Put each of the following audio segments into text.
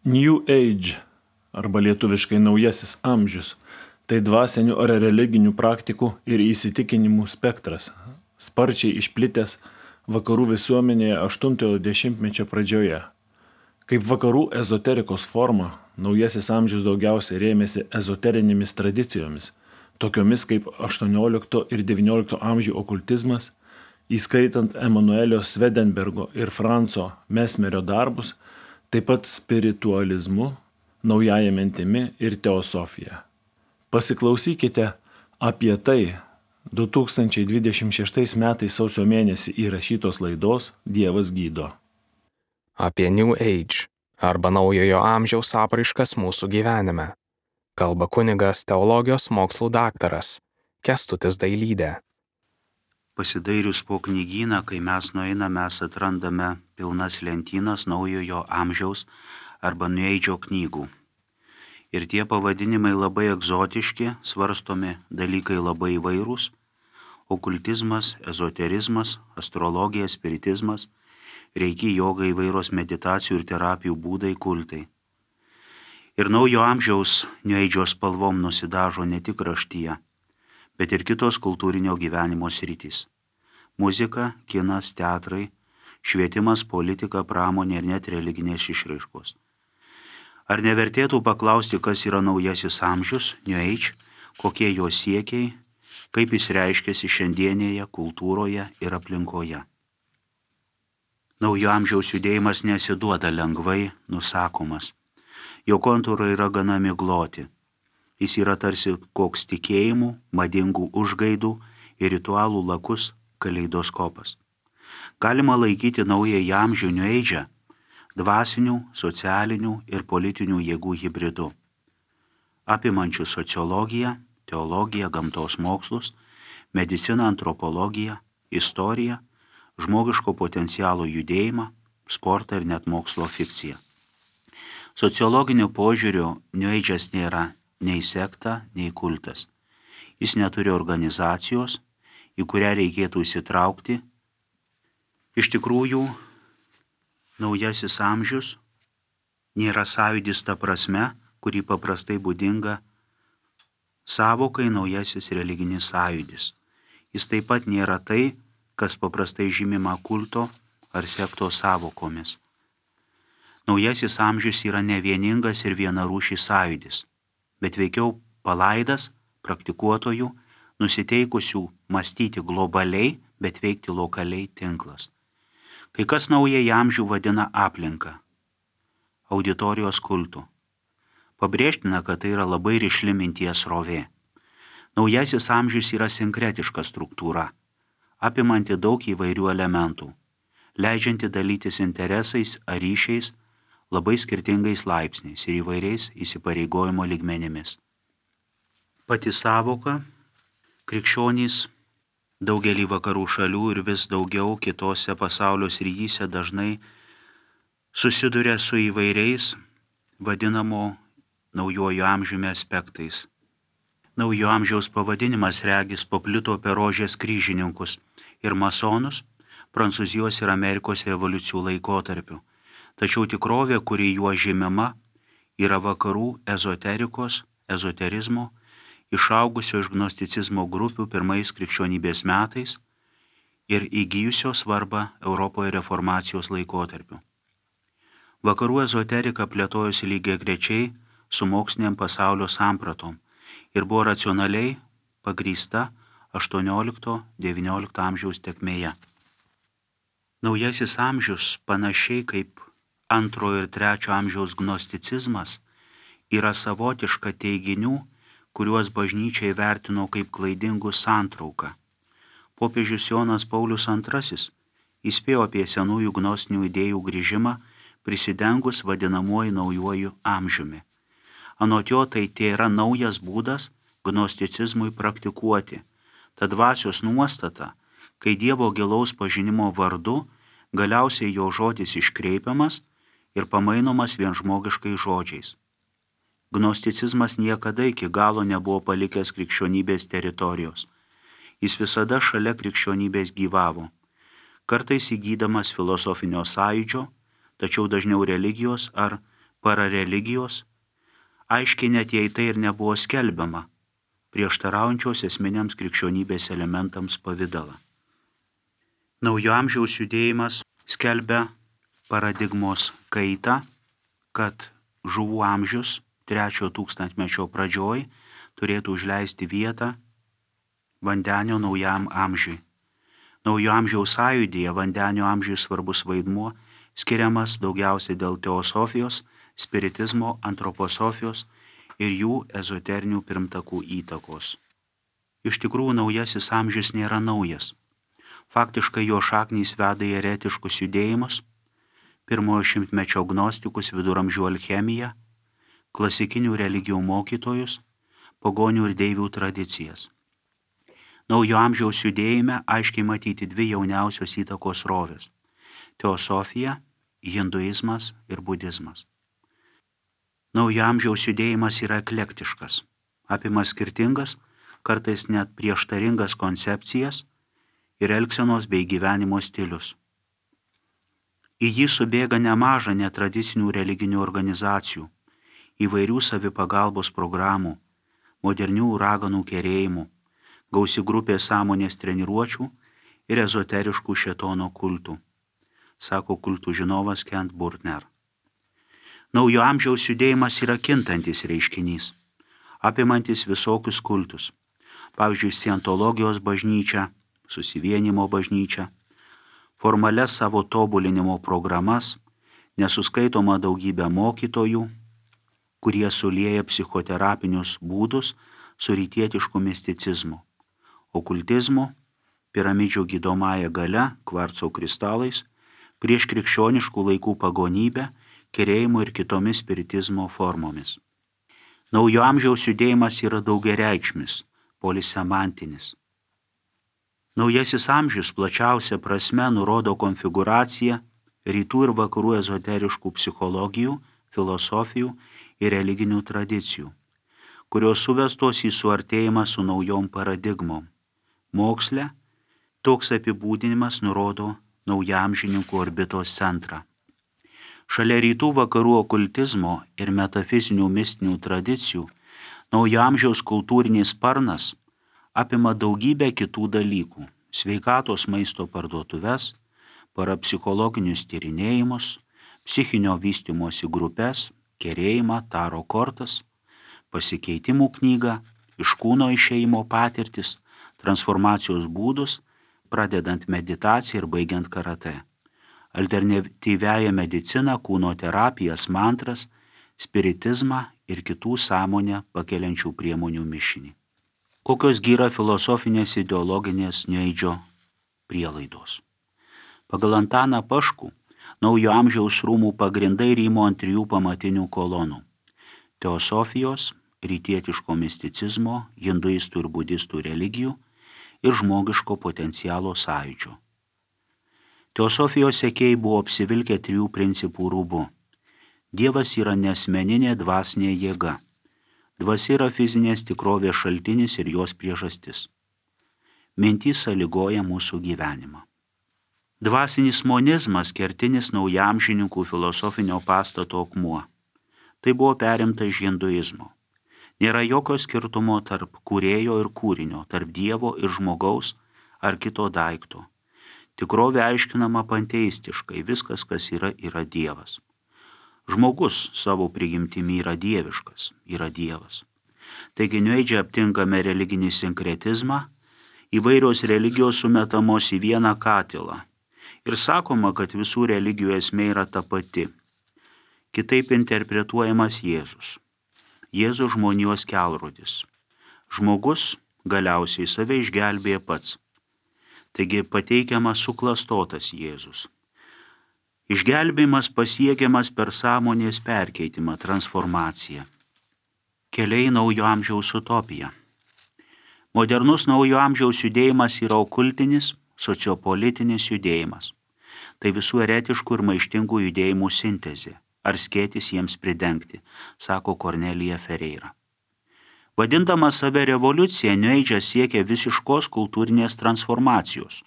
New Age arba lietuviškai naujasis amžius – tai dvasinių ar religinių praktikų ir įsitikinimų spektras, sparčiai išplitęs vakarų visuomenėje 8-ojo dešimtmečio pradžioje. Kaip vakarų ezoterikos forma, naujasis amžius daugiausiai rėmėsi ezoterinėmis tradicijomis, tokiomis kaip 18 ir 19 amžių okultizmas, įskaitant Emanuelio Swedenbergo ir Franco Mesmerio darbus, taip pat spiritualizmu, naująja mintimi ir teosofija. Pasiklausykite apie tai 2026 metais sausio mėnesį įrašytos laidos Dievas gydo. Apie New Age arba naujojo amžiaus apraiškas mūsų gyvenime. Kalba kunigas teologijos mokslų daktaras Kęstutis Dailydė. Pasidairius po knygyną, kai mes nueiname, mes atrandame pilnas lentynas naujojo amžiaus arba New Age'o knygų. Ir tie pavadinimai labai egzotiški, svarstomi dalykai labai įvairūs – okultizmas, ezoterizmas, astrologija, spiritizmas, reiki, joga, įvairios meditacijų ir terapijų būdai, kultai. Ir naujo amžiaus New Age'o spalvom nusidažo ne tik raštyje, bet ir kitos kultūrinio gyvenimo sritys. Muzika, kinas, teatrai, švietimas, politika, pramonė ir net religinės išraiškos. Ar nevertėtų paklausti, kas yra naujasis amžius, New Age, kokie jo siekiai, kaip jis reiškiasi šiandienėje kultūroje ir aplinkoje? Naujo amžiaus judėjimas nesiduoda lengvai nusakomas. Jo kontūrai yra gana migloti. Jis yra tarsi koks tikėjimų, madingų užgaidų ir ritualų lakus kaleidoskopas. Galima laikyti naująjį amžių New Age'ą dvasinių, socialinių ir politinių jėgų hibridu, apimančių sociologiją, teologiją, gamtos mokslus, mediciną, antropologiją, istoriją, žmogiško potencialo judėjimą, sportą ir net mokslo fikciją. Sociologiniu požiūriu New Age'as nėra nei sekta, nei kultas. Jis neturi organizacijos, į kurią reikėtų įsitraukti. Iš tikrųjų, naujasis amžius nėra sąjūdis ta prasme, kurį paprastai būdinga sąvokai naujasis religinis sąjūdis. Jis taip pat nėra tai, kas paprastai žymima kulto ar sektos sąvokomis. Naujasis amžius yra ne vieningas ir vienarūšis sąjūdis, bet veikiau palaidas praktikuotojų, nusiteikusių mąstyti globaliai, bet veikti lokaliai tinklas. Kai kas naująjį amžių vadina aplinką, auditorijos kultu. Pabrėžtina, kad tai yra labai rišli minties srovė. Naujasis amžius yra sinkretiška struktūra, apimanti daug įvairių elementų, leidžianti dalytis interesais ar ryšiais labai skirtingais laipsniais ir įvairiais įsipareigojimo lygmenimis. Pati sąvoka krikščionys daugelį vakarų šalių ir vis daugiau kitose pasaulio srityse dažnai susiduria su įvairiais vadinamo naujojo amžiumi aspektais. Naujo amžiaus pavadinimas regis paplito per rožės kryžininkus ir masonus Prancūzijos ir Amerikos revoliucijų laikotarpiu. Tačiau tikrovė, kuri juo žymima, yra vakarų ezoterikos, ezoterizmo, išaugusio iš gnosticizmo grupių pirmais krikščionybės metais ir įgijusio svarbą Europoje reformacijos laikotarpiu. Vakarų ezoterika plėtojosi lygiagrečiai su moksliniam pasaulio sampratom ir buvo racionaliai pagrįsta 18-19 amžiaus tėkmėje. Naujasis amžius, panašiai kaip 2 ir 3 amžiaus gnosticizmas, yra savotiška teiginių, kuriuos bažnyčia įvertino kaip klaidingų santrauką. Popiežius Jonas Paulius II įspėjo apie senųjų gnostinių idėjų grįžimą, prisidengus vadinamuoju naujuoju amžiumi. Anot jo tai tėra naujas būdas gnosticizmui praktikuoti. Ta dvasios nuostata, kai Dievo gilaus pažinimo vardu galiausiai jo žodis iškreipiamas ir pamainomas vien žmogiškais žodžiais. Gnosticizmas niekada iki galo nebuvo palikęs krikščionybės teritorijos. Jis visada šalia krikščionybės gyvavo, kartais įgydamas filosofinio sąjūdžio, tačiau dažniau religijos ar parareligijos, aiškiai net jei tai ir nebuvo skelbiama, prieštaraujančios esminiams krikščionybės elementams pavidalą. Naujo amžiaus judėjimas skelbia paradigmos kaitą, kad žuvų amžius 3 tūkstantmečio pradžioj turėtų užleisti vietą vandenio naujam amžiui. Naujo amžiaus sąjūdyje vandenio amžiui svarbus vaidmuo skiriamas daugiausiai dėl teosofijos, spiritizmo, antroposofijos ir jų ezoterinių pirmtakų įtakos. Iš tikrųjų, naujasis amžius nėra naujas. Faktiškai jo šaknys veda į eretiškus judėjimus, 1 šimtmečio gnostikus, viduramžių alchemiją, klasikinių religijų mokytojus, pagonių ir deivių tradicijas. Naujo amžiaus judėjime aiškiai matyti 2 jauniausios įtakos srovės – teosofija, hinduizmas ir budizmas. Naujo amžiaus judėjimas yra eklektiškas, apima skirtingas, kartais net prieštaringas koncepcijas ir elgsenos bei gyvenimo stilius. Į jį subėga nemaža netradicinių religinių organizacijų, įvairių savipagalbos programų, modernių raganų kerėjimų, gausi grupė sąmonės treniruočių ir ezoteriškų šėtono kultų, sako kultų žinovas Kent Burtner. Naujo amžiaus judėjimas yra kintantis reiškinys, apimantis visokius kultus, pavyzdžiui, scientologijos bažnyčią, susivienimo bažnyčią, formalias savo tobulinimo programas, nesuskaitoma daugybė mokytojų, kurie sulieja psichoterapinius būdus su rytietišku misticizmu, okultizmu, piramidžių gydomąja galia, kvarco kristalais, prieš krikščioniškų laikų pagonybę, kerėjimu ir kitomis spiritizmo formomis. Naujo amžiaus judėjimas yra daugiareikšmis, polisemantinis. Naujasis amžius plačiausia prasme nurodo konfigūraciją rytų ir vakarų ezoteriškų psichologijų, filosofijų ir religinių tradicijų, kurios suvestos į suartėjimą su naujom paradigmom. Moksle toks apibūdinimas nurodo naujamžininkų orbitos centrą. Šalia rytų vakarų okultizmo ir metafizinių mistinių tradicijų, naujo amžiaus kultūrinis sparnas apima daugybę kitų dalykų – sveikatos maisto parduotuves, parapsichologinius tyrinėjimus, psichinio vystymosi grupės, kerėjimą, taro kortas, pasikeitimų knygą, iš kūno išėjimo patirtis, transformacijos būdus, pradedant meditaciją ir baigiant karate, alternatyviąją mediciną, kūno terapijas, mantras, spiritizmą ir kitų sąmonę pakeliančių priemonių mišinį. Kokios yra filosofinės ideologinės New-Age'o prielaidos? Pagal Antaną Paškų, naujo amžiaus rūmų pagrindai rymo ant 3 pamatinių kolonų – teosofijos, rytietiško misticizmo, hinduistų ir budistų religijų ir žmogiško potencialo sąjūdžio. Teosofijos sekėjai buvo apsivilkę 3 principų rūbu. Dievas yra neasmeninė dvasinė jėga. Dvasia yra fizinės tikrovės šaltinis ir jos priežastis. Mintys sąlygoja mūsų gyvenimą. Dvasinis monizmas kertinis naujamžininkų filosofinio pastato akmuo. Tai buvo perimta iš hinduizmo. Nėra jokio skirtumo tarp kūrėjo ir kūrinio, tarp Dievo ir žmogaus ar kito daikto. Tikrovė aiškinama panteistiškai, viskas, kas yra Dievas. Žmogus savo prigimtimi yra dieviškas, yra Dievas. Taigi New-Age'e aptinkame religinį sinkretizmą, įvairios religijos sumetamos į vieną katilą ir sakoma, kad visų religijų esmė yra ta pati. Kitaip interpretuojamas Jėzus. Jėzus žmonijos kelrodis. Žmogus galiausiai save išgelbėja pats. Taigi pateikiamas suklastotas Jėzus. Išgelbėjimas pasiekiamas per sąmonės perkeitimą, transformaciją. Keliai naujo amžiaus utopija. Modernus naujo amžiaus judėjimas yra okultinis, sociopolitinis judėjimas. Tai visų eretiškų ir maištingų judėjimų sintezė, ar skėtis jiems pridengti, sako Kornelija Ferreira. Vadindama save revoliucija, New-Age'as siekia visiškos kultūrinės transformacijos,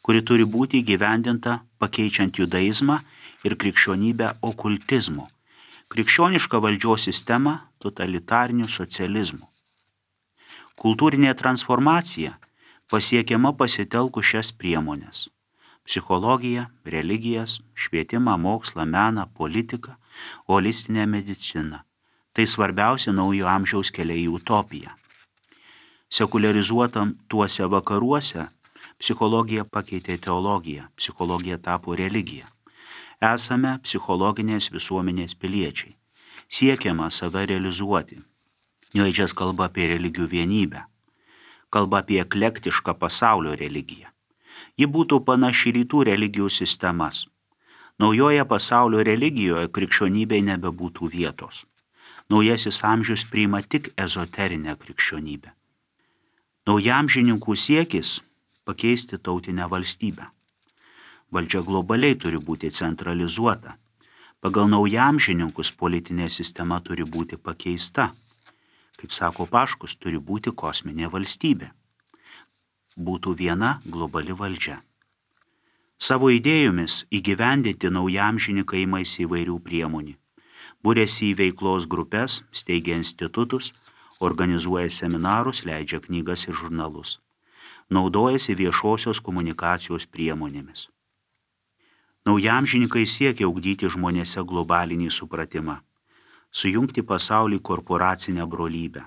kuri turi būti įgyvendinta pakeičiant judaizmą ir krikščionybę okultizmu, krikščionišką valdžios sistemą totalitariniu socializmu. Kultūrinė transformacija pasiekiama pasitelkus šias priemonės – psichologiją, religijas, švietimą, mokslą, meną, politiką, holistinę mediciną. Tai svarbiausia naujo amžiaus keliai į utopiją. Sekuliarizuotam tuose vakaruose psichologija pakeitė teologiją, psichologija tapo religija. Esame psichologinės visuomenės piliečiai. Siekiama save realizuoti. New Age'as kalba apie religijų vienybę. Kalba apie eklektišką pasaulio religiją. Ji būtų panaši rytų religijų sistemas. Naujoje pasaulio religijoje krikščionybei nebebūtų vietos. Naujasis amžius priima tik ezoterinę krikščionybę. Naujamžininkų siekis pakeisti tautinę valstybę. Valdžia globaliai turi būti centralizuota. Pagal naujamžininkus politinė sistema turi būti pakeista. Kaip sako Paškus, turi būti kosminė valstybė. Būtų viena globali valdžia. Savo idėjomis įgyvendinti naujamžininkai imasi įvairių priemonių. Būrėsi į veiklos grupės, steigia institutus, organizuoja seminarus, leidžia knygas ir žurnalus. Naudojasi viešosios komunikacijos priemonėmis. Naujamžininkai siekia ugdyti žmonėse globalinį supratimą, sujungti pasaulį korporacinę brolybę.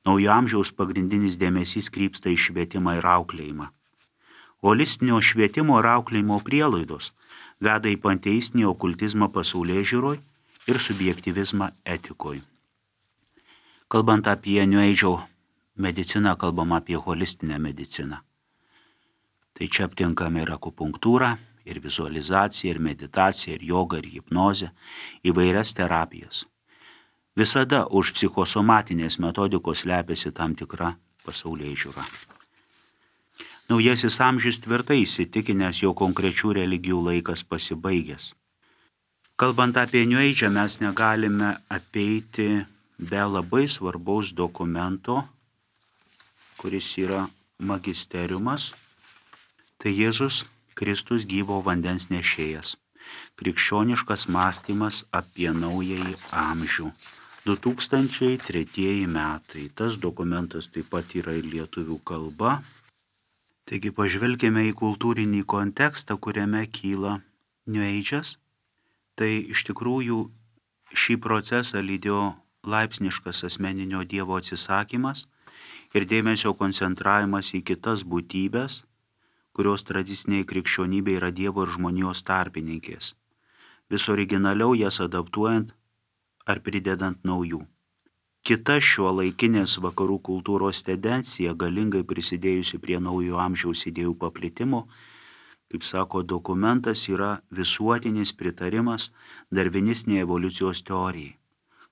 Naujo amžiaus pagrindinis dėmesys krypsta į švietimą ir auklėjimą. Holistinio švietimo ir auklėjimo prielaidos veda į panteistinį okultizmą pasaulėžiūroj ir subjektyvizmą etikoj. Kalbant apie New Age'o mediciną, kalbam apie holistinę mediciną. Tai čia aptinkame ir akupunktūrą, ir vizualizaciją, ir meditaciją, ir jogą, ir hipnozę, įvairias terapijas. Visada už psichosomatinės metodikos slepiasi tam tikra pasaulėžiūra. Naujasis amžius tvirtai įsitikinęs, jo konkrečių religijų laikas pasibaigęs. Kalbant apie New Age'ą, mes negalime apeiti be labai svarbaus dokumento, kuris yra magisteriumas. Tai Jėzus Kristus gyvo vandens nešėjas. Krikščioniškas mąstymas apie naująjį amžių. 2003 metai. Tas dokumentas taip pat yra ir lietuvių kalba. Taigi pažvelkime į kultūrinį kontekstą, kuriame kyla New Age'as. Tai iš tikrųjų šį procesą lydėjo laipsniškas asmeninio Dievo atsisakymas ir dėmesio koncentravimas į kitas būtybės, kurios tradiciniai krikščionybė yra Dievo ir žmonijos tarpininkės, vis originaliau jas adaptuojant ar pridedant naujų. Kita šiuolaikinės vakarų kultūros tendencija, galingai prisidėjusi prie naujo amžiaus idėjų paplitimo, kaip sako dokumentas, yra visuotinis pritarimas darvinistinei evoliucijos teorijai.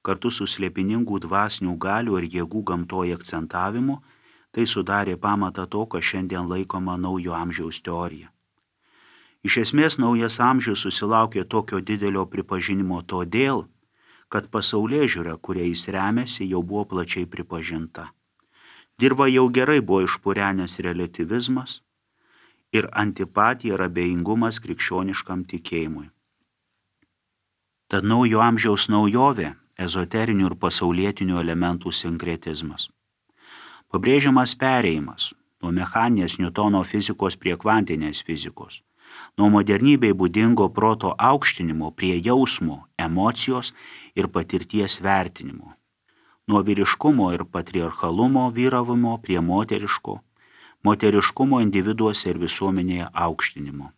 Kartu su slėpiningų dvasinių galių ir jėgų gamtoje akcentavimu, tai sudarė pamatą to, kas šiandien laikoma naujo amžiaus teorija. Iš esmės, naujas amžius susilaukė tokio didelio pripažinimo todėl, kad pasaulėžiūra, kuria jis remiasi, jau buvo plačiai pripažinta. Dirva jau gerai buvo išpurenęs reliatyvizmas ir antipatija ir abejingumas krikščioniškam tikėjimui. Tad naujo amžiaus naujovė – ezoterinių ir pasaulietinių elementų sinkretizmas. Pabrėžiamas perėjimas nuo mechaninės Niutono fizikos prie kvantinės fizikos, nuo modernybei būdingo proto aukštinimo prie jausmo, emocijos ir patirties vertinimo, nuo vyriškumo ir patriarchalumo vyravimo prie moteriškumo individuose ir visuomenėje aukštinimo.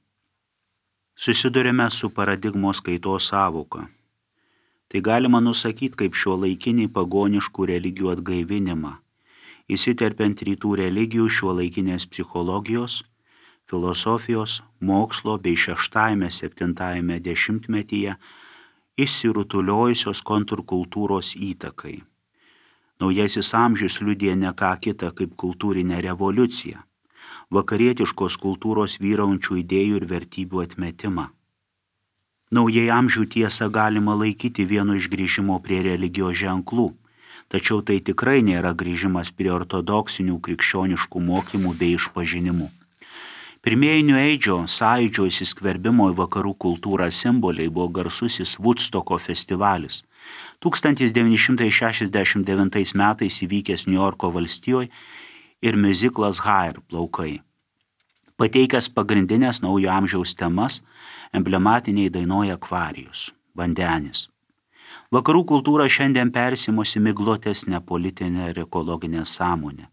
Susidurime su paradigmos kaitos sąvoka. Tai galima nusakyti kaip šiuolaikinį pagoniškų religijų atgaivinimą, įsiterpiant rytų religijų šiuolaikinės psichologijos, filosofijos, mokslo bei 6-7 dešimtmetyje išsirutuliojusios kontrkultūros įtakai. Naujasis amžius liudija ne ką kitą kaip kultūrinę revoliuciją, vakarietiškos kultūros vyraujančių idėjų ir vertybių atmetimą. Naujai amžių tiesą galima laikyti vienu iš grįžimo prie religijos ženklų, tačiau tai tikrai nėra grįžimas prie ortodoksinių krikščioniškų mokymų bei išpažinimų. Pirmieji New Age'o sąjūdžio įsiskverbimo į vakarų kultūrą simboliai buvo garsusis Woodstocko festivalis, 1969 metais įvykęs Niujorko valstijoje ir miuziklas Hair plaukai, pateikęs pagrindinės naujo amžiaus temas emblematiniai dainoje Aquarius – vandenis. Vakarų kultūra šiandien persimosi miglotesnę politinę ir ekologinę sąmonę.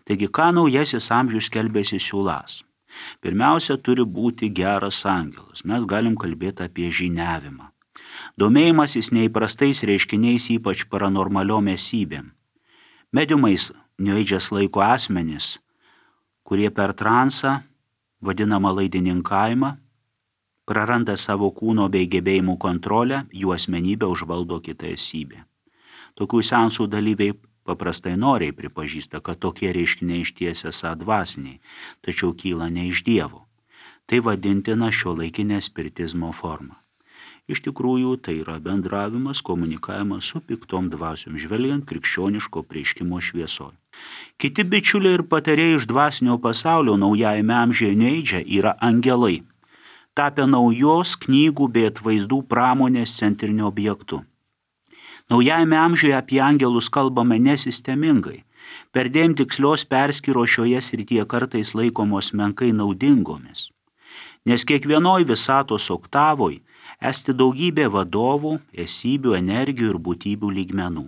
Taigi, ką naujasis amžius skelbėsi siūlas? Pirmiausia, turi būti geras angelas. Mes galim kalbėti apie žiniavimą. Domėjimasis neįprastais reiškiniais, ypač paranormaliom esybėm. Mediumais New Age'as laiko asmenys, kurie per transą, vadinamą laidininkavimą, praranda savo kūno bei gebėjimų kontrolę, jų asmenybę užvaldo kita esybė. Tokių seansų dalyviai paprastai noriai pripažįsta, kad tokie reiškiniai išties esą dvasiniai, tačiau kyla ne iš Dievo. Tai vadintina šiuolaikinė spiritizmo forma. Iš tikrųjų, tai yra bendravimas, komunikavimas su piktom dvasiom, žvelgiant krikščioniško apreiškimo šviesoje. Kiti bičiuliai ir patarėjai iš dvasinio pasaulio naujajame amžiuje New Age'e yra angelai, tapę naujos knygų bei atvaizdų pramonės centriniu objektu. Naujajame amžiuje apie angelus kalbame nesistemingai, perdėm tikslios perskyros šioje srityje kartais laikomos menkai naudingomis, nes kiekvienoj visatos oktavoj esti daugybė vadovų, esybių, energijų ir būtybių lygmenų.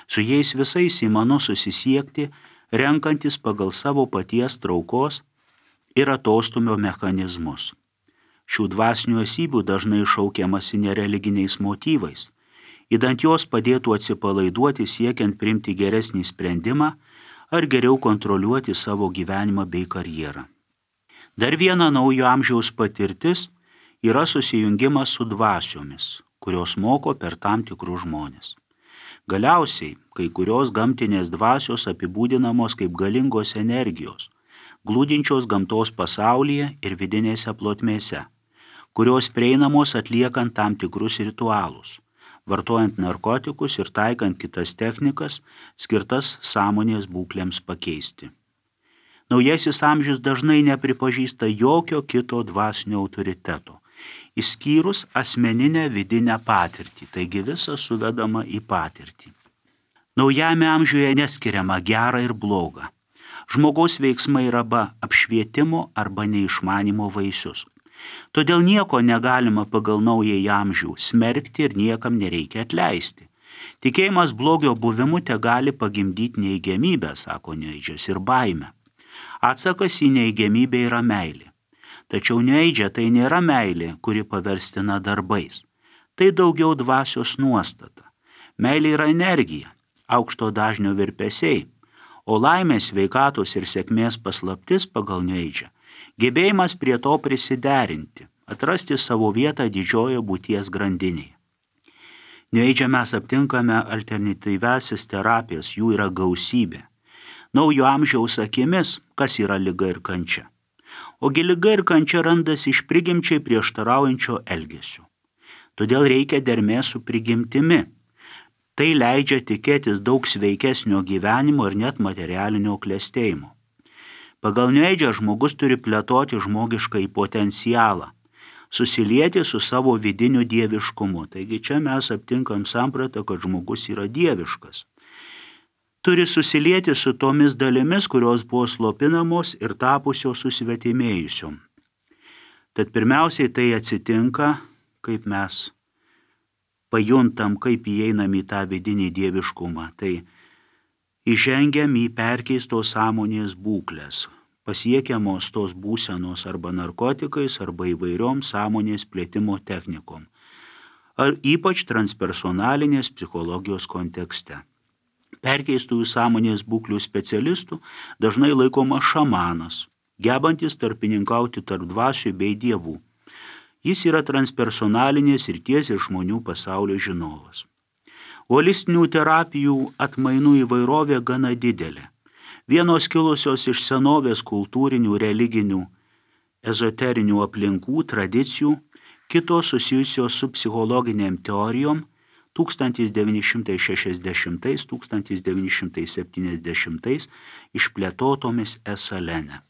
Su jais visais įmanu susisiekti, renkantis pagal savo paties traukos ir atostumio mechanizmus. Šių dvasinių esybių dažnai šaukiamasi nereliginiais motyvais, idant jos padėtų atsipalaiduoti siekiant priimti geresnį sprendimą ar geriau kontroliuoti savo gyvenimą bei karjerą. Dar viena naujo amžiaus patirtis yra susijungimas su dvasiomis, kurios moko per tam tikrus žmonės. Galiausiai, kai kurios gamtinės dvasios apibūdinamos kaip galingos energijos, glūdinčios gamtos pasaulyje ir vidinėse plotmėse, kurios prieinamos atliekant tam tikrus ritualus, vartojant narkotikus ir taikant kitas technikas, skirtas sąmonės būklėms pakeisti. Naujasis amžius dažnai nepripažįsta jokio kito dvasinio autoriteto, išskyrus asmeninę vidinę patirtį, taigi visa suvedama į patirtį. Naujame amžiuje neskiriama gera ir bloga. Žmogaus veiksmai yra arba apšvietimo arba neišmanimo vaisius. Todėl nieko negalima pagal naująjį amžių smerkti ir niekam nereikia atleisti. Tikėjimas blogio buvimu te gali pagimdyti neįgiamybę, sako New Age'as, ir baimę. Atsakas į neįgiamybę yra meilė. Tačiau New Age'e tai nėra meilė, kuri paverstina darbais. Tai daugiau dvasios nuostata. Meilė yra energija, aukšto dažnio virpesiai, o laimės, sveikatos ir sėkmės paslaptis pagal New Age'ą gebėjimas prie to prisiderinti, atrasti savo vietą didžiojo būties grandinėje. New Age'e mes aptinkame alternatyviasis terapijas, jų yra gausybė. Naujo amžiaus akimis, kas yra liga ir kančia. Ogi liga ir kančia randasi iš prigimčiai prieštaraujančio elgesio. Todėl reikia dermės su prigimtimi. Tai leidžia tikėtis daug sveikesnio gyvenimo ir net materialinio klestėjimo. Pagal New Age'ą žmogus turi plėtoti žmogiškąjį potencialą, susilieti su savo vidiniu dieviškumu. Taigi čia mes aptinkam sampratą, kad žmogus yra dieviškas. Turi susilieti su tomis dalimis, kurios buvo slopinamos ir tapusios susvetimėjusiom. Tad pirmiausiai tai atsitinka, kaip mes pajuntam, kaip įeinam į tą vidinį dieviškumą. Tai įžengiam į perkeistos sąmonės būklės, pasiekiamos tos būsenos arba narkotikais, arba įvairiom sąmonės plėtimo technikom, ar ypač transpersonalinės psichologijos kontekste. Perkeistųjų sąmonės būklių specialistų dažnai laikomas šamanas, gebantis tarpininkauti tarp dvasių bei dievų. Jis yra transpersonalinės srities ir žmonių pasaulio žinovas. Holistinių terapijų atmainų įvairovė gana didelė. Vienos kilusios iš senovės kultūrinių, religinių, ezoterinių aplinkų, tradicijų, kitos susijusios su psichologiniam teorijom 1960–1970 išplėtotomis Esalene.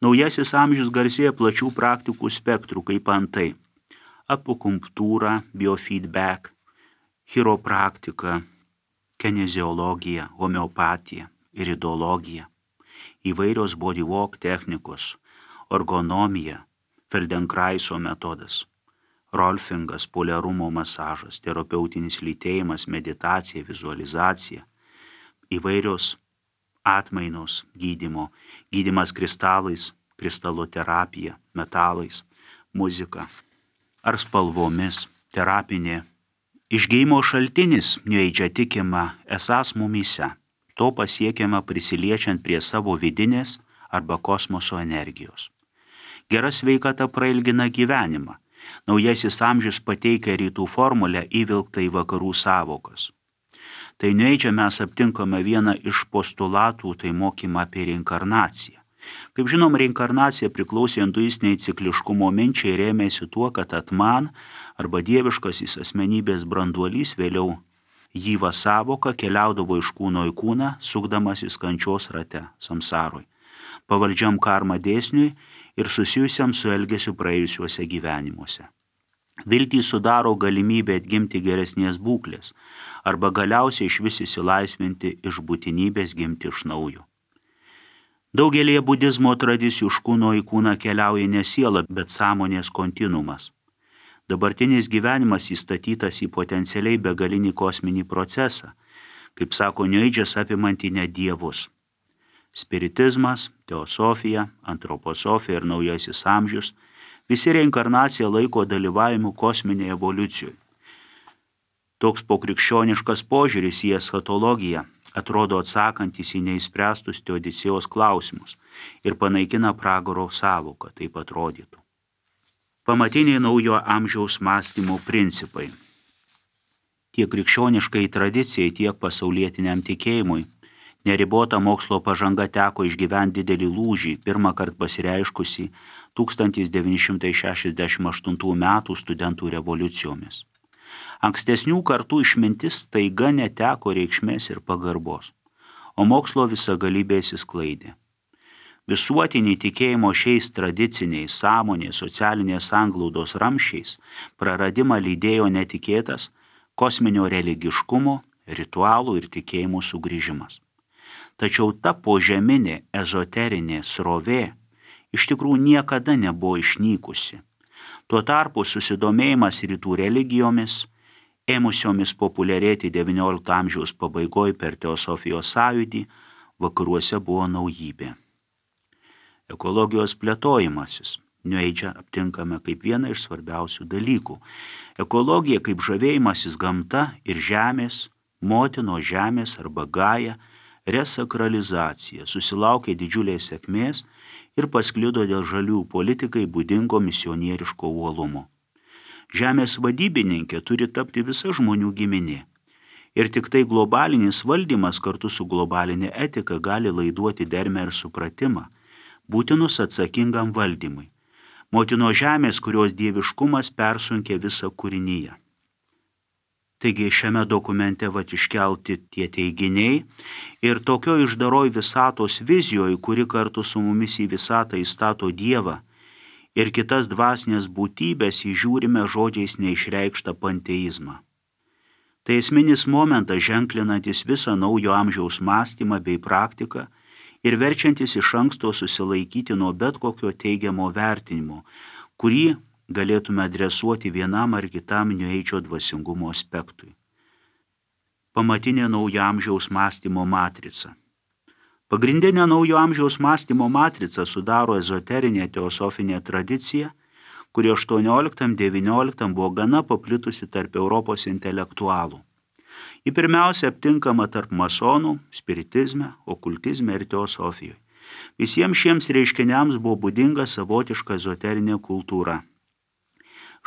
Naujasis amžius garsėja plačių praktikų spektrų, kaip antai akupunktūra, biofeedback, chiropraktika, kineziologija, homeopatija, iridologija, įvairios bodywalk technikos, ergonomija, Feldenkraiso metodas, rolfingas, poliarumo masažas, terapeutinis lytėjimas, meditacija, vizualizacija, įvairios atmainos gydymas kristalais, kristaloterapija, metalais, muzika ar spalvomis, terapinė. Išgijimo šaltinis New-Age tikima esąs mumyse. To pasiekiama prisiliečiant prie savo vidinės arba kosmoso energijos. Gera sveikata prailgina gyvenimą. Naujasis amžius pateikia rytų formulę įvilktą į vakarų savokas. Tai New-Age mes aptinkame vieną iš postulatų, tai mokymą apie reinkarnaciją. Kaip žinom, reinkarnacija priklausė hinduistiniai cikliškumo minčiai, rėmėsi tuo, kad atman arba dieviškasis asmenybės branduolys, vėliau Jyva savoka, keliaudavo iš kūno į kūną, sukdamasis kančios rate, samsaroj, pavaldžiam karma dėsniui ir susijusiam su elgesiu praėjusiuose gyvenimuose. Viltį sudaro galimybė atgimti geresnės būklės arba galiausiai išvis išsilaisvinti iš būtinybės gimti iš naujo. Daugelėje budizmo tradicijų iš kūno į kūną keliauja ne siela, bet sąmonės kontinuumas. Dabartinis gyvenimas įstatytas į potencialiai begalinį kosminį procesą, kaip sako New-Age'as, apimantį net dievus. Spiritizmas, teosofija, antroposofija ir naujasis amžius visi reinkarnaciją laiko dalyvavimu kosminėje evoliucijoje. Toks pokrikščioniškas požiūris į eschatologiją atrodo atsakantis į neįspręstus Teodicėjos klausimus ir panaikina pragaro sąvoką, taip atrodytų. Pamatiniai naujo amžiaus mąstymo principai. Tiek krikščioniškai tradicijai, tiek pasaulietiniam tikėjimui neribota mokslo pažanga teko išgyventi didelį lūžį, pirmą kartą pasireiškusi 1968 metų studentų revoliucijomis. Ankstesnių kartų išmintis staiga neteko reikšmės ir pagarbos, o mokslo visagalybė išsisklaidė. Visuotinį tikėjimo šiais tradiciniais, sąmonės, socialinės sanglaudos ramsčiais praradimą lydėjo netikėtas kosminio religiškumo, ritualų ir tikėjimų sugrįžimas. Tačiau ta požeminė ezoterinė srovė iš tikrųjų niekada nebuvo išnykusi. Tuo tarpu susidomėjimas rytų religijomis, ėmusiomis populiarėti XIX amžiaus pabaigoje per teosofijos sąjūdį, vakaruose buvo naujybė. Ekologijos plėtojimasis New-Age aptinkame kaip vieną iš svarbiausių dalykų. Ekologija kaip žavėjimasis gamta ir žemės, motinos žemės arba Gaja resakralizacija susilaukė didžiulės sėkmės ir pasklido dėl žaliųjų politikai būdingo misionieriško uolumo. Žemės vadybininkė turi tapti visa žmonių giminė. Ir tik tai globalinis valdymas kartu su globalinė etika gali laiduoti dermę ir supratimą, būtinus atsakingam valdymui. Motino žemės, kurios dieviškumas persunkė visą kūrinyje. Taigi šiame dokumente iškelti tie teiginiai ir tokio išdaroj visatos vizijoje, kuri kartu su mumis į visatą įstato Dievą ir kitas dvasinės būtybės, įžiūrime žodžiais neišreikštą panteizmą. Tai esminis momentas ženklinantis visą naujo amžiaus mąstymą bei praktiką ir verčiantis iš anksto susilaikyti nuo bet kokio teigiamo vertinimo, kurį galėtume adresuoti vienam ar kitam New-Age dvasingumo aspektui. Pamatinė naujo amžiaus mąstymo matrica. Pagrindinė naujo amžiaus mąstymo matrica sudaro ezoterinė teosofinė tradicija, kuri 18-19 buvo gana paplitusi tarp Europos intelektualų. Ji pirmiausia aptinkama tarp masonų, spiritizme, okultizme ir teosofijoje. Visiems šiems reiškiniams buvo būdinga savotiška ezoterinė kultūra.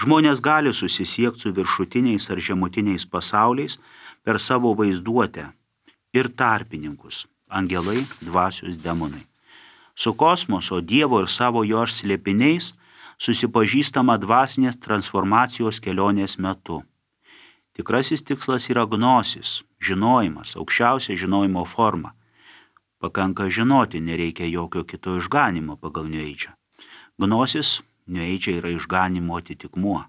Žmonės gali susisiekti su viršutiniais ar žemutiniais pasauliais per savo vaizduotę ir tarpininkus – angelai, dvasios, demonai. Su kosmoso, Dievo ir savo jo slėpiniais susipažįstama dvasinės transformacijos kelionės metu. Tikrasis tikslas yra gnosis, žinojimas, aukščiausia žinojimo forma. Pakanka žinoti, nereikia jokio kito išganimo pagal New Age. Gnosis New Age yra išganimo atitikmuo.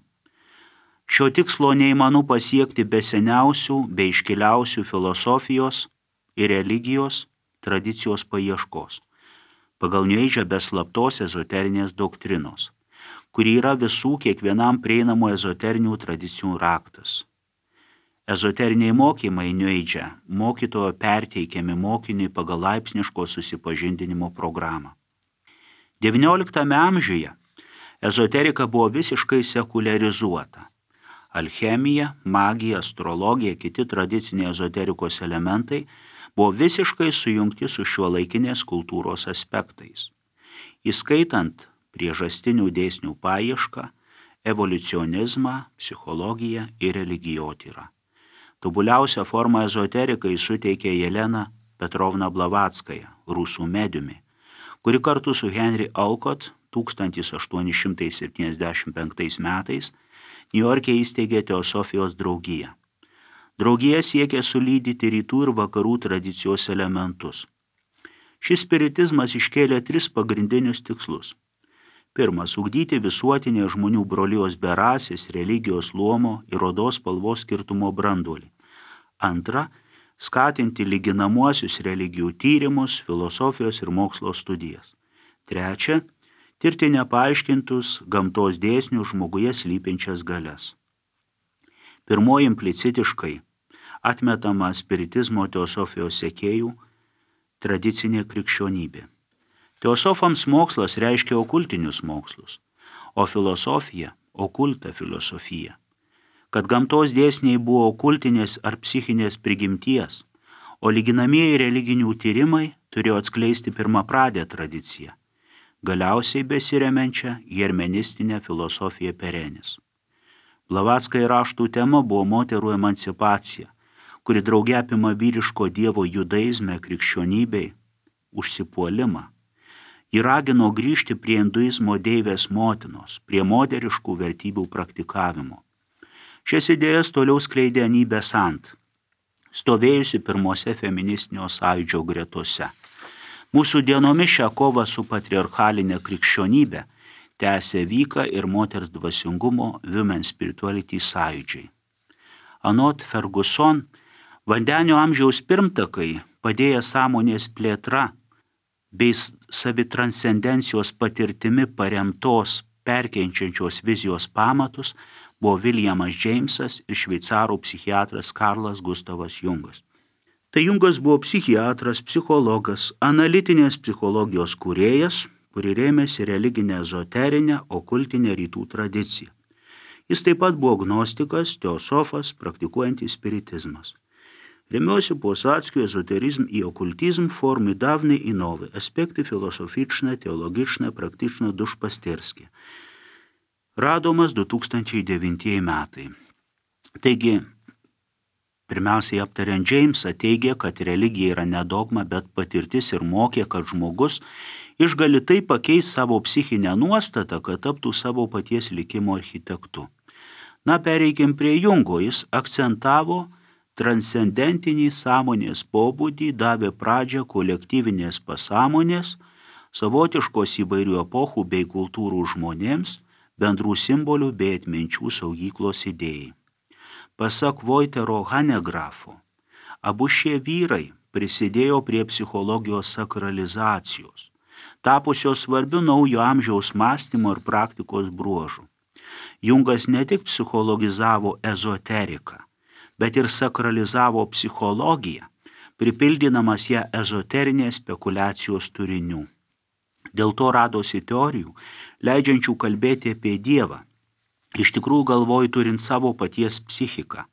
Šio tikslo neįmanu pasiekti be seniausių, be iškiliausių filosofijos ir religijos tradicijos paieškos. Pagal New Age be slaptos ezoterinės doktrinos, kuri yra visų kiekvienam prieinamų ezoterinių tradicijų raktas. Ezoteriniai mokymai New Age mokytojo perteikiami mokiniui pagal laipsniško susipažindinimo programą. XIX amžiuje ezoterika buvo visiškai sekuliarizuota. Alchemija, magija, astrologija, kiti tradiciniai ezoterikos elementai buvo visiškai sujungti su šiuolaikinės kultūros aspektais, įskaitant priežastinių dėsnių paiešką, evoliucionizmą, psichologiją ir religijotyrą. Tobuliausią formą ezoterikai suteikė Jelena Petrovna Blavatskaja, rusų mediumi, kuri kartu su Henry Alcott 1875 metais Niujorke įsteigė Teosofijos draugiją. Draugija siekė sulydyti rytų ir vakarų tradicijos elementus. Šis spiritizmas iškėlė 3 pagrindinius tikslus. Pirmas – ugdyti visuotinę žmonių brolijos be rasės, religijos luomo ir odos spalvos skirtumo branduolį. Antra – skatinti lyginamuosius religijų tyrimus, filosofijos ir mokslo studijas. Trečia – tirti nepaaiškintus gamtos dėsnių žmoguje slypinčias galias. Pirmoji implicitiškai atmetama spiritizmo teosofijos sekėjų tradicinė krikščionybė. Teosofams mokslas reiškia okultinius mokslus, o filosofija – okulta filosofija. Kad gamtos dėsniai buvo okultinės ar psichinės prigimties, o lyginamieji religinių tyrimai turėjo atskleisti pirmapradę tradiciją, galiausiai besiremiančią hermenistinę filosofiją perenis. Blavatskai raštų tema buvo moterų emancipacija, kuri drauge apima vyriško dievo judaizme krikščionybei užsipuolimą. Ji ragino grįžti prie hinduizmo deivės motinos, prie moteriškų vertybių praktikavimo. Šias idėjas toliau skleidė Anybė Sant, stovėjusi pirmose feministinio sąjūdžio gretose. Mūsų dienomis šią kovą su patriarchalinė krikščionybė tęsė Vyka ir moters dvasingumo Women Spirituality sąjūdžiai. Anot Ferguson, vandenio amžiaus pirmtakai padėję sąmonės plėtra bei savitranscendencijos patirtimi paremtos perkeičiančios vizijos pamatus buvo Williamas Jamesas ir šveicarų psichiatras Karlas Gustavas Jungas. Tai Jungas buvo psichiatras, psichologas, analitinės psichologijos kūrėjas, kuri rėmėsi religinę ezoterinę, okultinę rytų tradiciją. Jis taip pat buvo gnostikas, teosofas, praktikuojantis spiritizmas. Remiuosi posadzkiu ezoterizm i оккультизм формидавні і нові аспекти філософічне, теологічне, практично dušpasterski. Radomas 2009 metai. Taigi, pirmiausiai aptariant Jamesą teigia, kad religija yra ne dogma, bet patirtis ir mokė, kad žmogus išgali taip pakeisti savo psichinę nuostatą, kad taptų savo paties likimo architektu. Na, pereikim prie Jungo, jis akcentavo transcendentinį sąmonės pobūdį, davė pradžią kolektyvinės pasąmonės, savotiškos įvairių epochų bei kultūrų žmonėms, bendrų simbolių bei atminčių saugyklos idėjai. Pasak Voitero Hanegrafo, abu šie vyrai prisidėjo prie psichologijos sakralizacijos, tapusios svarbiu naujo amžiaus mąstymo ir praktikos bruožu. Jungas ne tik psichologizavo ezoteriką, bet ir sakralizavo psichologiją, pripildydamas ją ezoterinės spekulacijos turinių. Dėl to radosi teorijų, leidžiančių kalbėti apie Dievą, iš tikrųjų galvoj turint savo paties psichiką.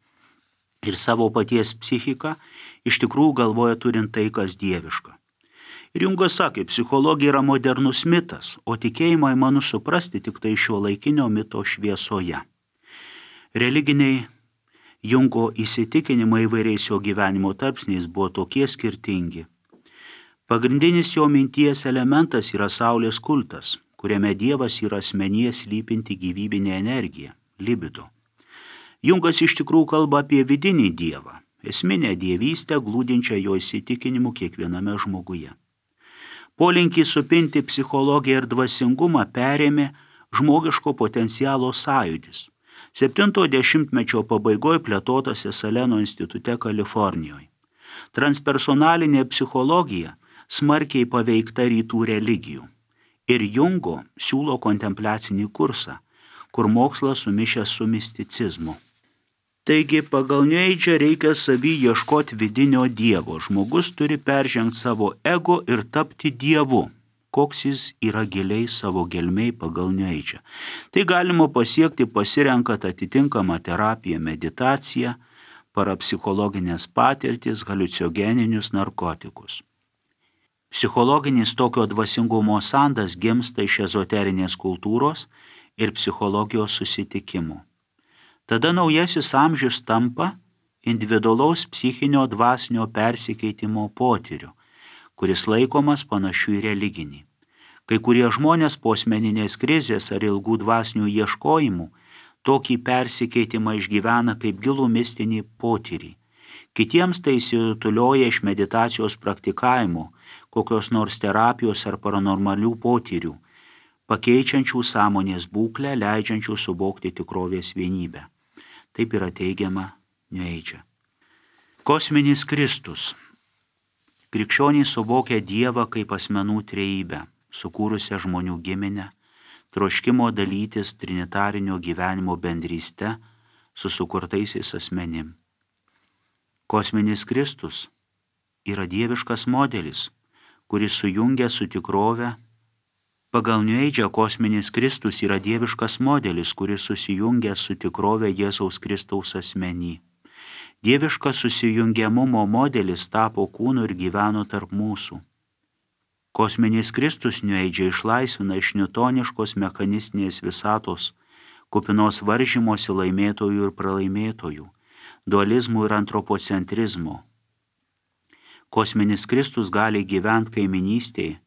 Ir savo paties psichiką iš tikrųjų galvoja turint tai, kas dieviška. Ir Jungas sakė, psichologija yra modernus mitas, o tikėjimą įmanu suprasti tik tai šiuolaikinio mito šviesoje. Religiniai Jungo įsitikinimai įvairiais jo gyvenimo tarpsniais buvo tokie skirtingi. Pagrindinis jo minties elementas yra saulės kultas, kuriame Dievas yra asmenyje slypinti gyvybinė energija, libido. Jungas iš tikrųjų kalba apie vidinį Dievą, esminę dievystę glūdinčią jo įsitikinimu kiekviename žmoguje. Polinkį supinti psichologiją ir dvasingumą perėmė žmogiško potencialo sąjūdis. 70-mečio pabaigoje plėtotose Saleno institute Kalifornijoje. Transpersonalinė psichologija smarkiai paveikta rytų religijų. Ir Jungo siūlo kontempliacinį kursą, kur mokslas sumišęs su misticizmu. Taigi pagal New Age reikia savy ieškoti vidinio dievo. Žmogus turi peržengti savo ego ir tapti dievu, koks jis yra giliai savo gelmei pagal New Age. Tai galima pasiekti pasirenkant atitinkamą terapiją, meditaciją, parapsichologinės patirtis, haliucinogeninius narkotikus. Psichologinis tokio dvasingumo sandas gimsta iš ezoterinės kultūros ir psichologijos susitikimų. Tada naujasis amžius tampa individualaus psichinio dvasinio persikeitimo potyriu, kuris laikomas panašiu į religinį. Kai kurie žmonės po asmeninės krizės ar ilgų dvasinių ieškojimų tokį persikeitimą išgyvena kaip gilų mistinį potyrį. Kitiems tai įsirutulioja iš meditacijos praktikavimo, kokios nors terapijos ar paranormalių potyrių, pakeičiančių sąmonės būklę, leidžiančių suvokti tikrovės vienybę. Taip yra teigiama New Age. Kosminis Kristus. Krikščionys suvokia Dievą kaip asmenų trejybę, sukūrusią žmonių giminę, troškimo dalytis trinitarinio gyvenimo bendryste su sukurtaisiais asmenim. Kosminis Kristus yra dieviškas modelis, kuris sujungia su tikrove. Pagal New Age kosminis Kristus yra dieviškas modelis, kuris susijungia su tikrove Jėzaus Kristaus asmenį. Dieviškas susijungiamumo modelis tapo kūnu ir gyveno tarp mūsų. Kosminis Kristus New Age išlaisvina iš niutoniškos mechanistinės visatos, kupinos varžymosi laimėtojų ir pralaimėtojų, dualizmų ir antropocentrizmo. Kosminis Kristus gali gyventi kaiminystėje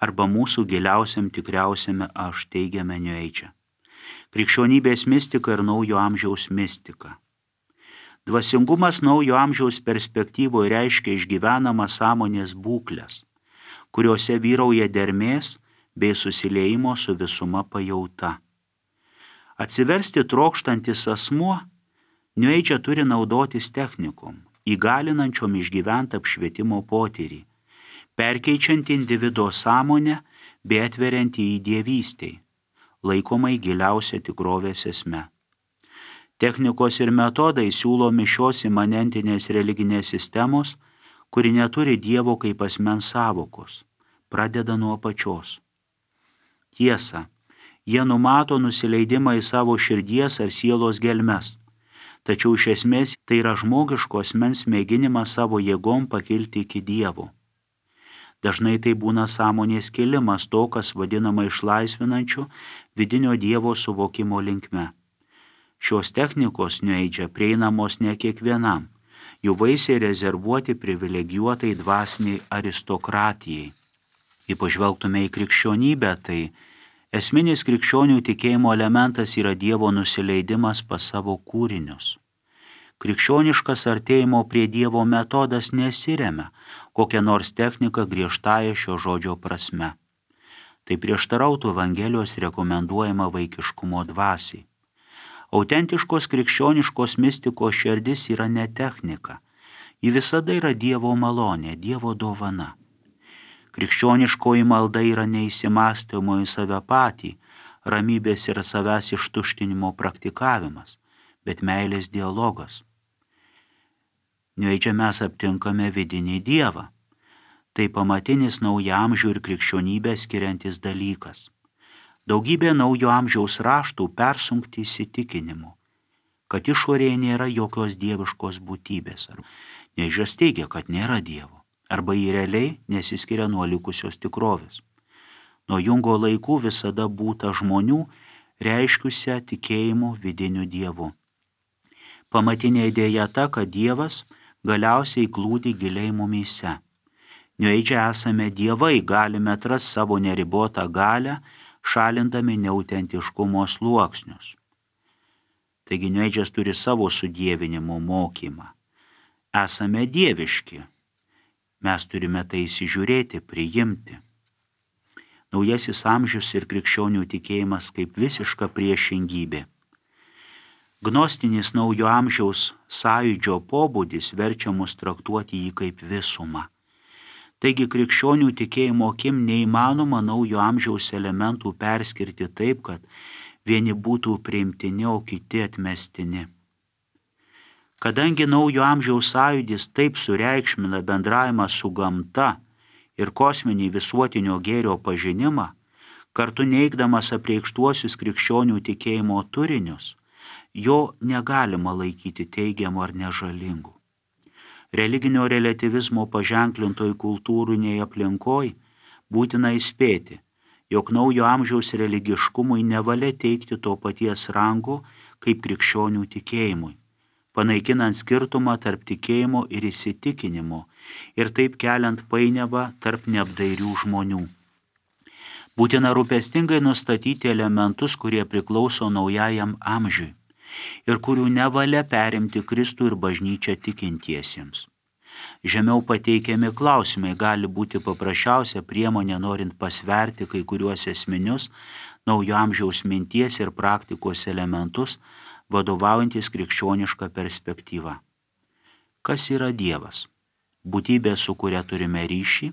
arba mūsų giliausiam tikriausiame aš, teigiame New Age. Krikščionybės mistika ir naujo amžiaus mistika. Dvasingumas naujo amžiaus perspektyvoje reiškia išgyvenamą sąmonės būklės, kuriuose vyrauja dermės bei susiliejimo su visuma pajauta. Atsiversti trokštantis asmuo New Age turi naudotis technikom, įgalinančiom išgyventi apšvietimo potyrį, perkeičiant individo sąmonę bei atveriant į dievystei, laikomai giliausia tikrovės esme. Technikos ir metodai siūlomi šios imanentinės religinės sistemos, kuri neturi Dievo kaip asmens sąvokos, pradeda nuo apačios. Tiesa, jie numato nusileidimą į savo širdies ar sielos gelmes, tačiau iš esmės tai yra žmogiško asmens mėginimas savo jėgom pakilti iki Dievo. Dažnai tai būna sąmonės kilimas to, kas vadinama išlaisvinančiu vidinio Dievo suvokimo linkme. Šios technikos New Age prieinamos ne kiekvienam, jų vaisiai rezervuoti privilegijuotai dvasiniai aristokratijai. Jei pažvelgtume į krikščionybę, tai esminis krikščionių tikėjimo elementas yra Dievo nusileidimas pas savo kūrinius. Krikščioniškas artėjimo prie Dievo metodas nesiremia kokią nors techniką griežtąja šio žodžio prasme. Tai prieštarautų Evangelijos rekomenduojama vaikiškumo dvasiai. Autentiškos krikščioniškos mistikos širdis yra ne technika, ji visada yra Dievo malonė, Dievo dovana. Krikščioniškoji malda yra neįsimastymo į save patį, ramybės ir savęs ištuštinimo praktikavimas, bet meilės dialogas. New Age mes aptinkame vidinį Dievą. Tai pamatinis naujo amžių ir krikščionybę skiriantis dalykas. Daugybė naujo amžiaus raštų persunkti įsitikinimu, kad išorėje nėra jokios dieviškos būtybės. New Age teigia, kad nėra Dievo, arba jį realiai nesiskiria nuo likusios tikrovės. Nuo Jungo laikų visada būta žmonių, reiškiusią tikėjimu vidiniu Dievu. Pamatinė idėja ta, kad Dievas galiausiai glūdi giliai mumyse. New Age esame dievai, galime atrasti savo neribotą galią, šalindami neautentiškumo sluoksnius. Taigi New Age turi savo sudievinimo mokymą. esame dieviški. Mes turime tai įsižiūrėti, priimti. Naujasis amžius ir krikščionių tikėjimas kaip visiška priešingybė. Gnostinis naujo amžiaus sąjūdžio pobūdis verčia mus traktuoti jį kaip visumą. Taigi krikščionių tikėjimo akim neįmanoma naujo amžiaus elementų perskirti taip, kad vieni būtų priimtini, o kiti atmestini. Kadangi naujo amžiaus sąjūdis taip sureikšmina bendravimą su gamta ir kosminį visuotinio gėrio pažinimą, kartu neigdamas apreikštuosius krikščionių tikėjimo turinius, jo negalima laikyti teigiamu ar nežalingu. Religinio relativizmo paženklintoj kultūriniai aplinkoj būtina įspėti, jog naujo amžiaus religiškumui nevalia teikti to paties rango kaip krikščionių tikėjimui, panaikinant skirtumą tarp tikėjimo ir įsitikinimo ir taip keliant painiavą tarp neapdairių žmonių. Būtina rūpestingai nustatyti elementus, kurie priklauso naujajam amžiui ir kurių nevalia perimti Kristų ir bažnyčią tikintiesiems. Žemiau pateikiami klausimai gali būti paprasčiausia priemonė norint pasverti kai kuriuos esminius naujo amžiaus minties ir praktikos elementus, vadovaujantis krikščioniška perspektyva. Kas yra Dievas? Būtybė, su kuria turime ryšį,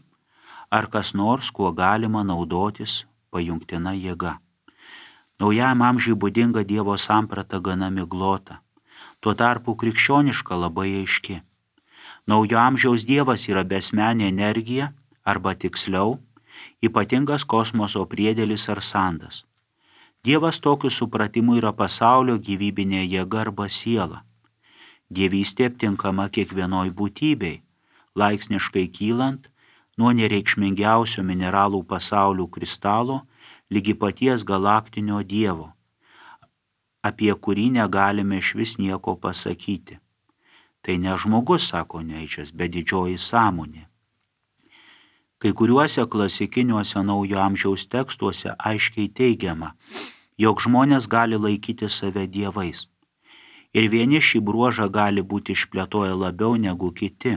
ar kas nors, kuo galima naudotis pajungtina jėga? Naujajam amžiui būdinga Dievo samprata gana miglota, tuo tarpu krikščioniška labai aiški. Naujo amžiaus Dievas yra besmenė energija, arba tiksliau, ypatingas kosmoso priedėlis ar sandas. Dievas tokiu supratimu yra pasaulio gyvybinė jėga arba siela. Dievystė aptinkama kiekvienoj būtybei, laipsniškai kylant nuo nereikšmingiausio mineralų pasaulių kristalo ligi paties galaktinio Dievo, apie kurį negalime išvis nieko pasakyti. Tai ne žmogus, sako Nietzsche, bet didžioji sąmonė. Kai kuriuose klasikiniuose naujo amžiaus tekstuose aiškiai teigiama, jog žmonės gali laikyti save dievais. Ir vieni šį bruožą gali būti išplėtoję labiau negu kiti.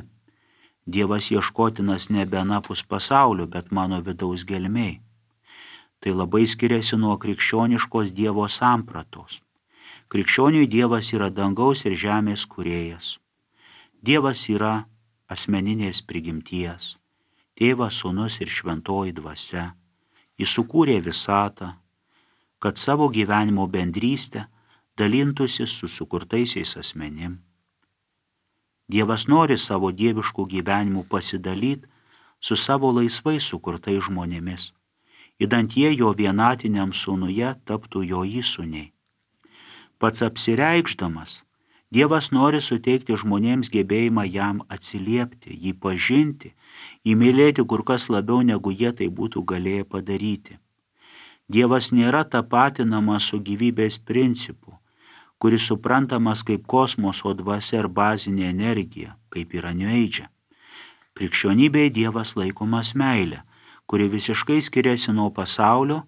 Dievas ieškotinas nebe anapus pasaulio, bet mano vidaus gelmėj. Tai labai skiriasi nuo krikščioniškos Dievo sampratos. Krikščioniui Dievas yra dangaus ir žemės kūrėjas. Dievas yra asmeninės prigimties, Tėvas, Sūnus ir Šventoji Dvasia. Jis sukūrė visatą, kad savo gyvenimo bendrystę dalintųsi su sukurtaisiais asmenim. Dievas nori savo dieviškų gyvenimų pasidalyti su savo laisvai sukurtais žmonėmis, idant jie jo vienatiniam sūnuje taptų jo įsūniai. Pats apsireikšdamas, Dievas nori suteikti žmonėms gebėjimą jam atsiliepti, jį pažinti, įmylėti kur kas labiau negu jie tai būtų galėję padaryti. Dievas nėra tapatinamas su gyvybės principu, kuris suprantamas kaip kosmoso dvasia ir bazinė energija, kaip yra New Age. Krikščionybėje Dievas laikomas meilė, kuri visiškai skiriasi nuo pasaulio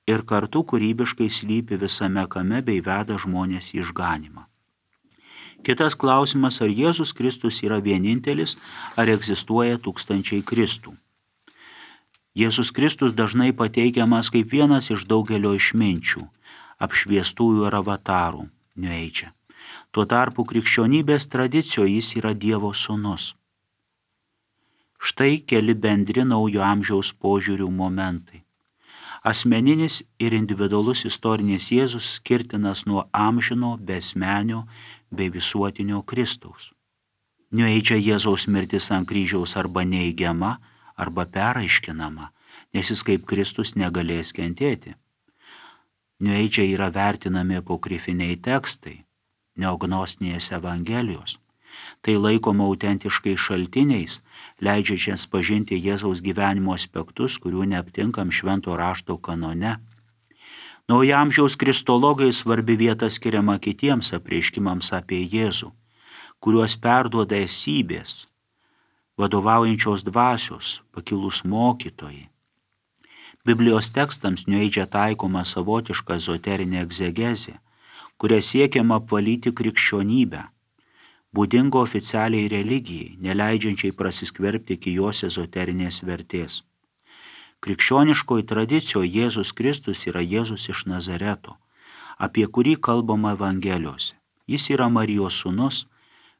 ir kartu kūrybiškai slypi visame kame bei veda žmonės į išganymą. Kitas klausimas, ar Jėzus Kristus yra vienintelis, ar egzistuoja tūkstančiai Kristų. Jėzus Kristus dažnai pateikiamas kaip vienas iš daugelio išminčių, apšviestųjų ar avatarų, New Age. Tuo tarpu krikščionybės tradicijoje jis yra Dievo sūnus. Štai keli bendri naujo amžiaus požiūrių momentai. Asmeninis ir individualus istorinis Jėzus skirtinas nuo amžino, besmenio bei visuotinio Kristaus. New Age Jėzaus mirtis ant kryžiaus arba neigiama, arba peraiškinama, nes jis kaip Kristus negalės kentėti. New Age yra vertinami apokrifiniai tekstai, neognostinės evangelijos. Tai laikoma autentiškai šaltiniais, leidžiančiais pažinti Jėzaus gyvenimo aspektus, kurių neaptinkam švento rašto kanone. Naujamžiaus kristologai svarbi vieta skiriama kitiems apreiškimams apie Jėzų, kuriuos perduoda esybės, vadovaujančios dvasios, pakilus mokytojai. Biblijos tekstams New Age taikoma savotiška ezoterinė egzegezė, kuria siekiama apvalyti krikščionybę. būdingo oficialiai religijai, neleidžiančiai prasiskverbti iki jos ezoterinės vertės. Krikščioniškoje tradicijoje Jėzus Kristus yra Jėzus iš Nazareto, apie kurį kalbama Evangelijose. Jis yra Marijos sūnus,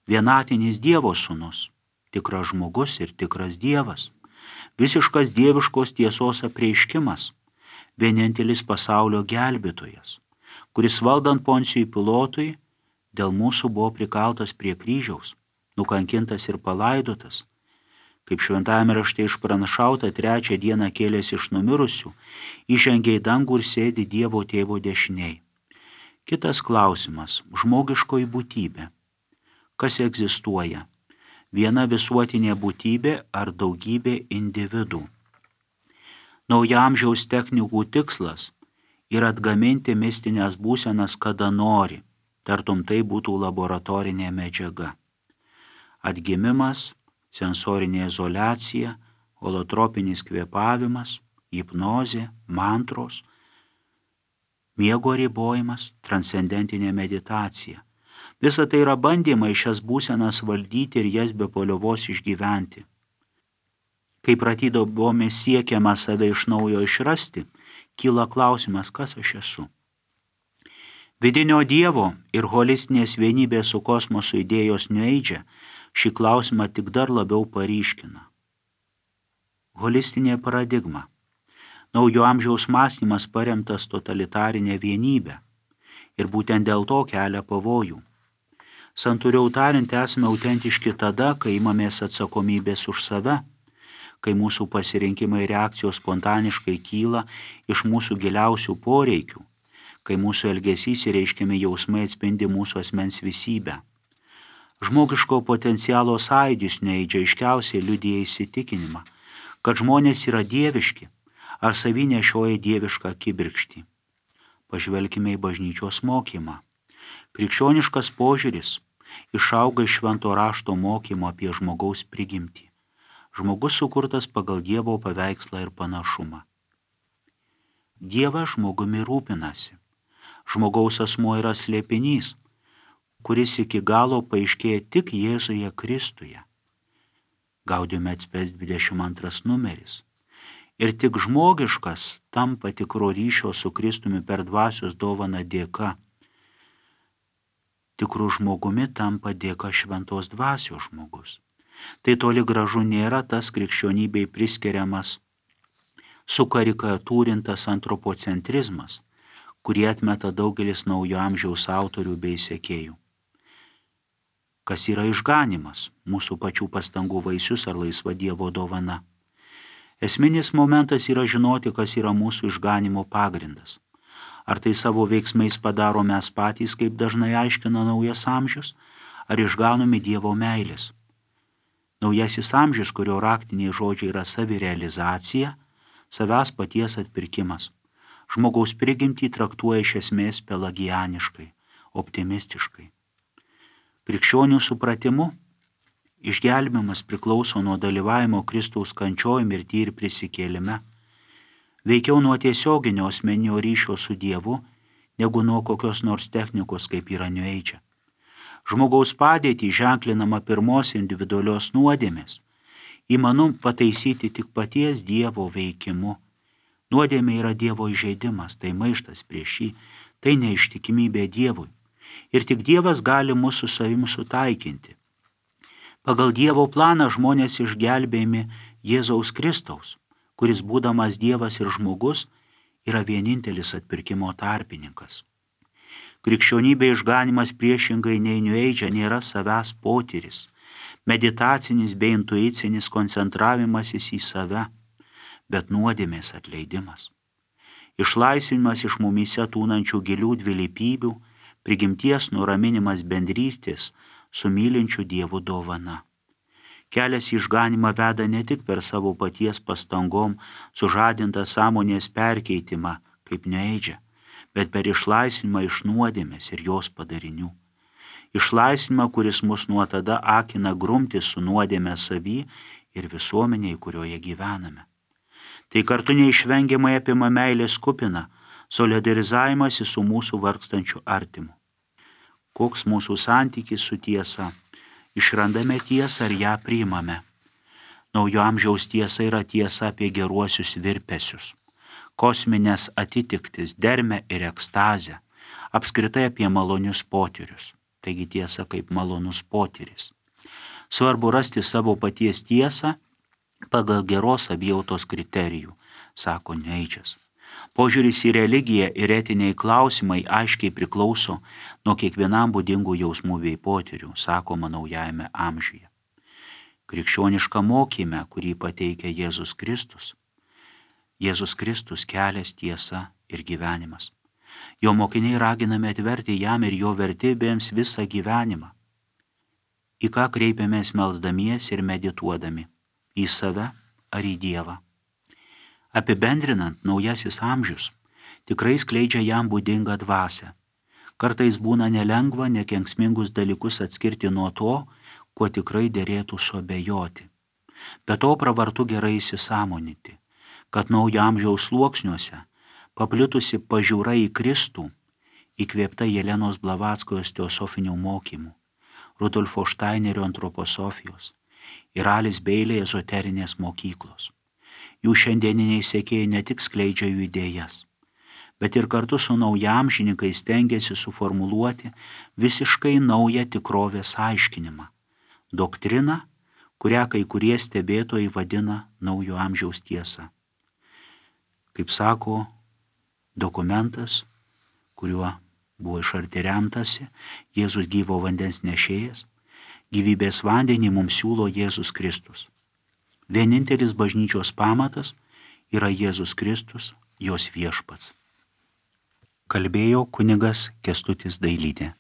vienatinis Dievo sūnus, tikras žmogus ir tikras Dievas, visiškas dieviškos tiesos apreiškimas, vienintelis pasaulio gelbėtojas, kuris valdant Poncijui Pilotui dėl mūsų buvo prikaltas prie kryžiaus, nukankintas ir palaidotas, kaip šventajame rašte išpranašauta, 3 dieną kėlėsi iš numirusių, įžengė į dangų ir sėdi Dievo tėvo dešinėj. Kitas klausimas - žmogiškoji būtybė. Kas egzistuoja? Viena visuotinė būtybė ar daugybė individų? Naujaamžiaus technikų tikslas yra atgaminti mistinės būsenas kada nori, tartum tai būtų laboratorinė medžiaga. Atgimimas, sensorinė izoliacija, holotropinis kvėpavimas, hipnozė, mantros, miego ribojimas, transcendentinė meditacija. Visa tai yra bandymai šias būsenas valdyti ir jas be paliovos išgyventi. Kai pratydobomis siekiama save iš naujo išrasti, kyla klausimas, kas aš esu. Vidinio Dievo ir holistinės vienybės su kosmosu idėjos New Age šį klausimą tik dar labiau paryškina. Holistinė paradigma. Naujo amžiaus mąstymas paremtas totalitarinė vienybė ir būtent dėl to kelia pavojų. Santūriau tariant, esame autentiški tada, kai imamės atsakomybės už save, kai mūsų pasirinkimai reakcijos spontaniškai kyla iš mūsų giliausių poreikių, kai mūsų elgesys ir reiškiami jausmai atspindi mūsų asmens visybę. Žmogiško potencialo sąjūdis neįdžiaiškiausiai liudija įsitikinimą, kad žmonės yra dieviški ar savy nešioja dievišką kibirkštį. Pažvelkime į bažnyčios mokymą. Krikščioniškas požiūris išauga iš švento rašto mokymo apie žmogaus prigimtį. Žmogus sukurtas pagal Dievo paveikslą ir panašumą. Dievas žmogumi rūpinasi. Žmogaus asmuo yra slėpinys, kuris iki galo paaiškėja tik Jėzuje Kristuje. Gaudium et Spes 22 numeris. Ir tik žmogiškas tampa tikro ryšio su Kristumi per dvasios dovaną dėka. Tikru žmogumi tampa dėka šventos dvasios žmogus. Tai toli gražu nėra tas krikščionybei priskiriamas sukarikatūrintas antropocentrizmas, kurį atmeta daugelis naujo amžiaus autorių bei sekėjų. Kas yra išganymas, mūsų pačių pastangų vaisius ar laisva Dievo dovana? Esminis momentas yra žinoti, kas yra mūsų išganimo pagrindas. Ar tai savo veiksmais padaro mes patys, kaip dažnai aiškina naujas amžius, ar išganomi Dievo meilės. Naujasis amžius, kurio raktiniai žodžiai yra savirealizacija, savęs paties atpirkimas. Žmogaus prigimtį traktuoja iš esmės pelagianiškai, optimistiškai. Krikščionių supratimu, išgelbėjimas priklauso nuo dalyvavimo Kristaus kančioj, mirty ir prisikėlime, veikiau nuo tiesioginio asmeninio ryšio su Dievu, negu nuo kokios nors technikos, kaip yra New Age. Žmogaus padėtį ženklinama pirmos individualios nuodėmės, įmanoma pataisyti tik paties Dievo veikimu. Nuodėmė yra Dievo įžeidimas, tai maištas prieš jį, tai neištikimybė Dievui. Ir tik Dievas gali mūsų savim sutaikinti. Pagal Dievo planą žmonės išgelbėjami Jėzaus Kristaus, kuris būdamas Dievas ir žmogus yra vienintelis atpirkimo tarpininkas. Krikščionybė išganimas priešingai nei New Age nėra savęs potyris, meditacinis bei intuicinis koncentravimasis į save, bet nuodėmės atleidimas. Išlaisvinimas iš mumyse tūnančių gilių dvilypybių, prigimties nuraminimas bendrystės su mylinčiu Dievu dovana. Kelias į išganimą veda ne tik per savo paties pastangom sužadintą sąmonės perkeitimą kaip New Age, bet per išlaisvinimą iš nuodėmės ir jos padarinių. Išlaisvinimą, kuris mus nuo tada akina grumtis su nuodėme savy ir visuomeniai, kurioje gyvename. Tai kartu neišvengiamai apima meilės kupiną solidarizavimąsi su mūsų vargstančiu artimu. Koks mūsų santykis su tiesa, išrandame tiesą ir ją priimame. Naujo amžiaus tiesa yra tiesa apie geruosius virpesius, kosminės atitiktis, dermę ir ekstazę, apskritai apie malonius potyrius. Taigi tiesa kaip malonus potyris. Svarbu rasti savo paties tiesą pagal geros savijautos kriterijų, sako Neidžas. Požiūris į religiją ir etiniai klausimai aiškiai priklauso nuo kiekvienam būdingų jausmų bei potyrių, sakoma Naujajame amžiuje. Krikščioniška mokyme, kurį pateikia Jėzus Kristus kelias, tiesa ir gyvenimas. Jo mokiniai raginami atverti jam ir jo vertybėms visą gyvenimą. Į ką kreipiamės melsdamiesi ir medituodami? Į save ar į Dievą? Apibendrinant, naujasis amžius tikrai skleidžia jam būdingą dvasią. Kartais būna nelengva nekenksmingus dalykus atskirti nuo to, kuo tikrai derėtų suabejoti. Be to pravartu gerai įsisąmoninti, kad naujo amžiaus sluoksniuose paplitusi pažiūra į Kristų, įkvėpta Jelenos Blavackojos teosofinių mokymų, Rudolfo Štainerio antroposofijos ir Alis Beilė ezoterinės mokyklos. Jų šiandieniniai sekėjai ne tik skleidžia jų idėjas, bet ir kartu su naujaamžininkais stengiasi suformuluoti visiškai naują tikrovės aiškinimą, doktriną, kurią kai kurie stebėtojai vadina naujo amžiaus tiesa. Kaip sako, dokumentas, kuriuo buvo iš arti remtasi Jėzus gyvo vandens nešėjas, gyvybės vandenį mums siūlo Jėzus Kristus. Vienintelis bažnyčios pamatas yra Jėzus Kristus, jos viešpats. Kalbėjo kunigas Kęstutis Dailydė.